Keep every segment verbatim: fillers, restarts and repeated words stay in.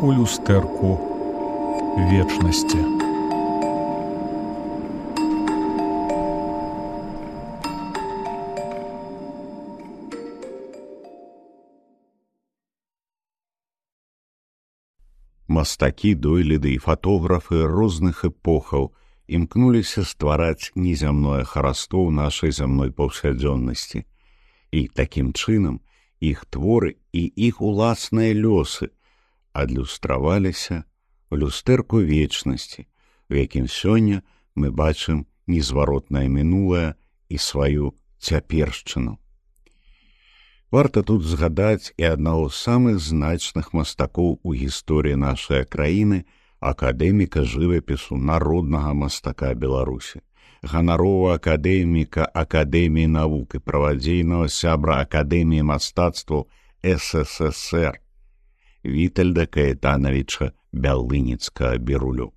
у люстэрку вечнасці. Мастакі, дойліды і фатографы розных эпохаў імкнуліся ствараць незямное хараство ў нашай зямной паўсядзённасці. І такім чынам іх творы і іх уласныя лёсы адлюстраваліся ў люстэрку вечнасці, у якім сёння мы бачым незваротнае мінулае і сваю цяпершчыну. Варта тут згадаць і аднаго з самых значных мастакоў у гісторыі нашай краіны, акадэміка жывапісу, народнага мастака Беларусі, ганаровага акадэміка Акадэміі навук і правадзейнага сябра Акадэміі мастацтваў эс эс эс эр Вітальда Каэтанавіча Бялыніцкага-Бірулю.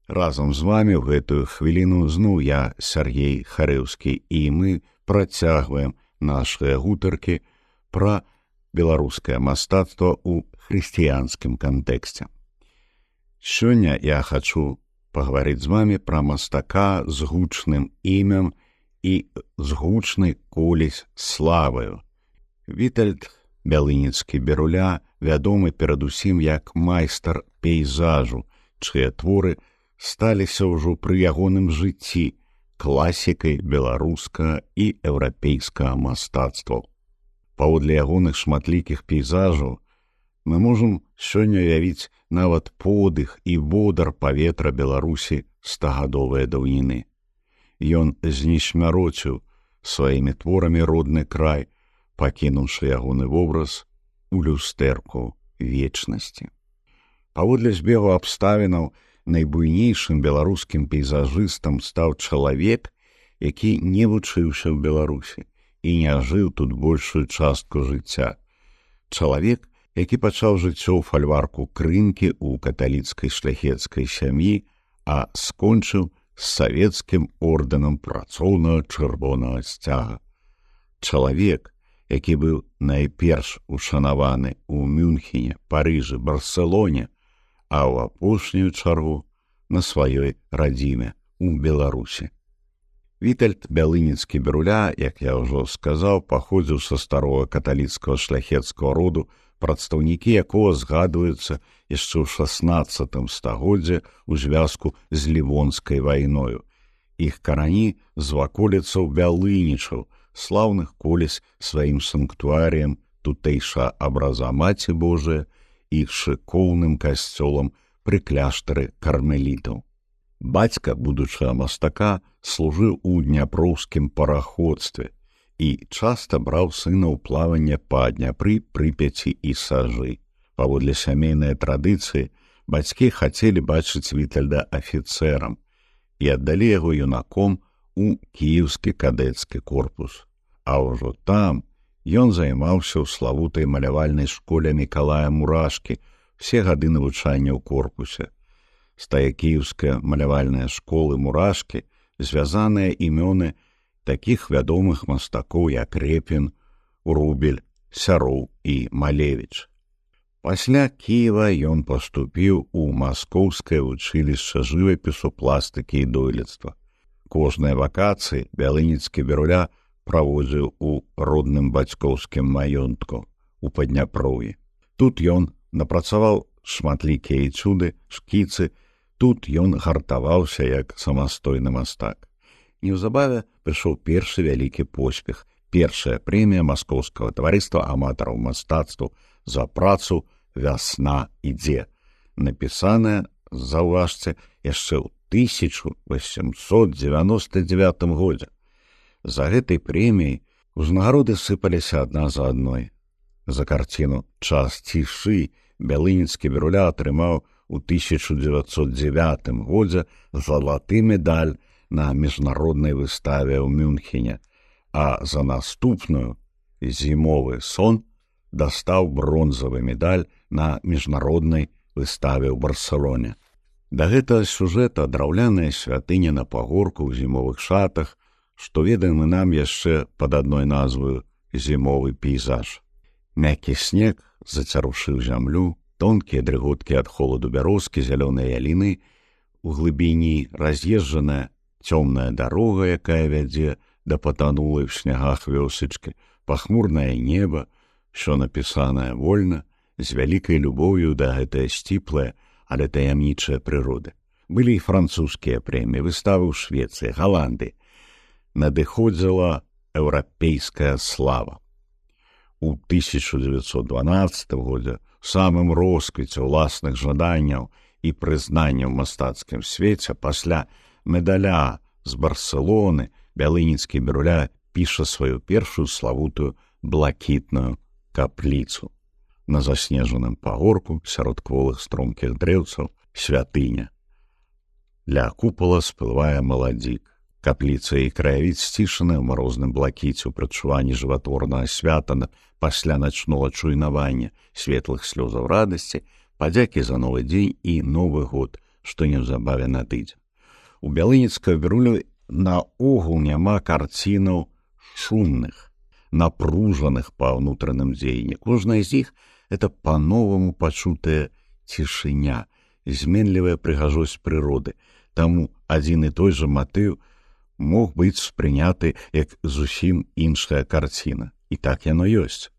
Разам з вамі ў гэтую хвіліну зноў я, Сяргей Харэўскі, і мы працягваем нашыя гутаркі пра беларускае мастацтва ў хрысціянскім кантэксце. Сёння я хачу пагаварыць з вамі пра мастака з гучным імем і з гучнай колісь славаю. Вітальд Бялыніцкі-Біруля вядомы перадусім як майстар пейзажу, чыя творы сталіся ўжо пры ягоным жыцці класікай беларускага і еўрапейскага мастацтва. Паводле ягоных шматлікіх пейзажаў мы можам сёння уявіць нават подых і водар паветра Беларусі стагадовыя даўніны. Ён знесмярочыў сваімі творамі родны край, пакінуўшы ягоны вобраз у люстэрку вечнасці. Паводле збегу абставінаў, найбуйнейшым беларускім пейзажыстам стаў чалавек, які не вучыўся ў Беларусі і не жыў тут большую частку жыцця. Чалавек, які пачаў жыццё ў фальварку Крынкі ў каталіцкай шляхецкай сям'і, а скончыў з савецкім ордэнам працоўнага чырвонага сцяга. Чалавек, які быў найперш ушанаваны ў Мюнхене, Парыжы, Барселоне, а ў апошнюю чаргу на сваёй радзіме у Беларусі. Вітальд Бялыніцкі-Біруля, як я ўжо сказаў, паходзіў са старога каталіцкага шляхецкага роду, прадстаўнікі якога згадваюцца яшчэ ў шаснаццатым стагоддзі ў звязку з Лівонскай вайною. Іх карані з ваколіцаў Бялынічаў, слаўных колісь сваім санктуарыем тутэйша абраза Маці Божыя, іх шыкоўным касцёлам пры кляштары кармелітаў. Бацька будучага мастака служыў у дняпроўскім параходстве і часта браў сына ў плаванне па Дняпры, Прыпяці і Сажы. Паводле сямейнай традыцыі, бацькі хацелі бачыць Вітальда афіцэрам і аддалі яго юнаком у кіеўскі кадэцкі корпус. А ўжо там ён займаўся ў славутай малявальнай школе Мікалая Мурашкі все гады навучання ў корпусе. З тае кіеўская малявальная школы Мурашкі звязаныя імёны такіх вядомых мастакоў, як Репін, Рубель, Сяроў і Малевіч. Пасля Кіева ён паступіў у Маскоўскае вучылішча жывапісу, пластыкі і дойлідства. Кожныя вакацыі Бялыніцкі-Біруля праводзіў у родным бацькоўскім маёнтку у Падняпроўі. Тут ён напрацаваў шматлікія эцюды, шкіцы, тут ён гартаваўся як самастойны мастак. Неўзабаве прыйшоў першы вялікі поспех, першая прэмія Маскоўскага таварыства аматараў мастацтваў за працу «Вясна ідзе», напісаная, заўважце, яшчэ ў тысяча васемсот дзевяноста дзевятым годзе. За гэтай прэміяй узнагароды сыпаліся адна за адной. За карціну «Час цішы» Бялыніцкі-Біруля атрымаў у тысяча дзевяцьсот дзевятым годзе залаты медаль на міжнароднай выставе ў Мюнхене, а за наступную «Зімовы сон» дастаў бронзавы медаль на міжнароднай выставе ў Барселоне. Да гэтага сюжэта драўляная святыня на пагорку ў зімовых шатах, што ведаем мы нам яшчэ пад адной назваю «Зімовы пейзаж». Мяккі снег зацярушыў зямлю, Тонкія дрыготкі ад холаду бярозкі, зялёныя яліны, у глыбіні раз'езджаная цёмная дарога, якая вядзе да патанулай в снягах вёсачкі, пахмурнае неба, що напісанае вольна, з вялікай любоўю да гэтае сціплае, але таямнічае прыроды. Былі і французскія прэміі, выставы ў Швецыі, Галандыі. Надыходзіла еўрапейская слава. У тысяча дзевяцьсот дванаццатым годзе у самым росквіце ўласных жаданняў і прызнанняў у мастацкім свеце пасля медаля з Барселоны Бялыніцкі Біруля піша сваю першую славутую блакітную капліцу. На заснежаным пагорку сярод кволых стромкіх дрэўцаў святыня. Ля купала сплывае маладзік. Капліца і краявід сцішаны ў марозным блакіце ў прадчуванні жыватворнага свята пасля начнога чуйнавання, светлых слёзаў радасці, падзякі за новы дзень і новы год, што неўзабаве надыдзе. У Бялыніцкага Бірулю наогул няма карцінаў шумных, напружаных па ўнутраным дзеянні. Кожная з іх — это па-новаму пачутая цішыня, зменлівая прыгажосць прыроды. Таму адзін і той жа матыў мог быць спрыняты як зусім іншая карціна. І так яно ёсць.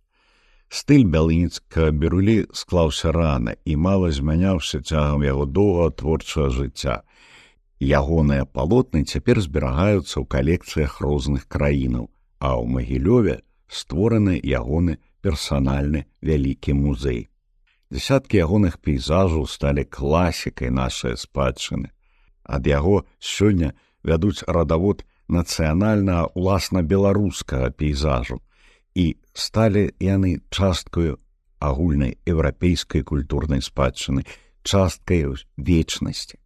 Стыль Бялыніцкага Бірулі склаўся рана і мала змяняўся цягам яго доўгага творчага жыцця. Ягоныя палотны цяпер зберагаюцца ў калекцыях розных краінаў, а ў Магілёве створаны ягоны персанальны вялікі музей. Дзясяткі ягоных пейзажаў сталі класікай нашай спадчыны. Ад яго сёння вядуць радавод нацыянальнага уласна беларускага пейзажу, і сталі яны часткаю агульнай еўрапейскай культурнай спадчыны, часткай вечнасці.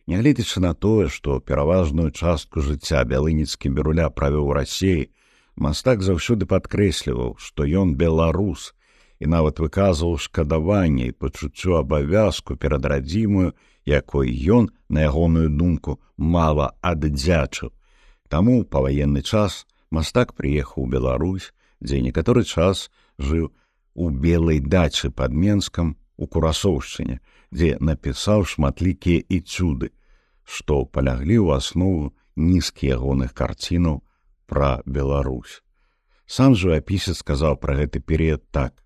Нягледзячы на тое, што пераважную частку жыцця Бялыніцкі Біруля правёў у Расіі, мастак заўсёды падкрэсліваў, што ён беларус, і нават выказваў шкадаванне і пачуццё абавязку перад радзімаю, якой ён, на ягоную думку, мала аддзячыў. Таму ў паваенны час мастак прыехаў у Беларусь, дзе некаторы час жыў у Белай дачы пад Менскам у Курасоўшчыне, дзе напісаў шматлікія эцюды, што паляглі ў аснову нізкі ягоных карцінаў пра Беларусь. Сам жывапісец сказаў пра гэты перыяд так,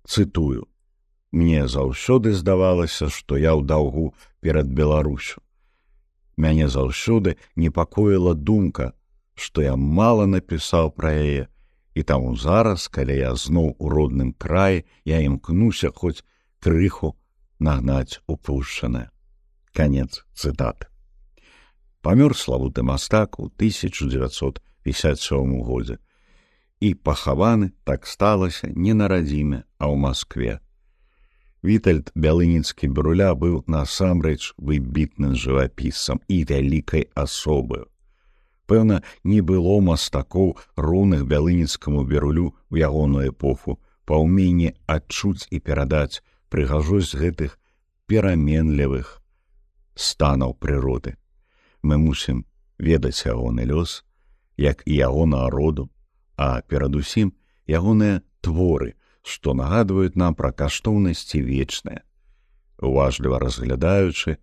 цытую: «Мне заўсёды здавалася, што я ў даўгу перад Беларусю. Мяне заўсёды непакоіла думка, што я мала напісаў пра яе, і таму зараз, калі я зноў у родным краі, я імкнуся хоць крыху нагнаць упушчанае». Канец цытаты. Памёр славуты мастак у тысяча дзевяцьсот пятьдесят сёмым годзе і пахаваны, так сталася, не на радзіме, а ў Маскве. Вітальд Бялыніцкі Біруля быў насамрэч выбітным жывапісцам і вялікай асобаю. Пэўна, не было мастакоў, роўных Бялыніцкаму Бірулю ў ягоную эпоху па ўменні адчуць і перадаць прыгажосць гэтых пераменлівых станаў прыроды. Мы мусім ведаць ягоны лёс, як і яго народу, а перадусім ягоныя творы, што нагадваюць нам пра каштоўнасці вечныя. Уважліва разглядаючы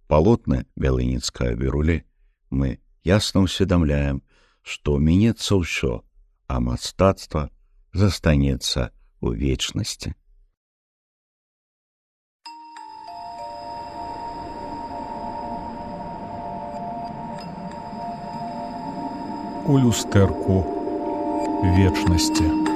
палотны Бялыніцкага Бірулі, мы ясна ўсведамляем, што мінецца ўсё, а мастацтва застанецца ў вечнасці. У люстэрку вечнасці.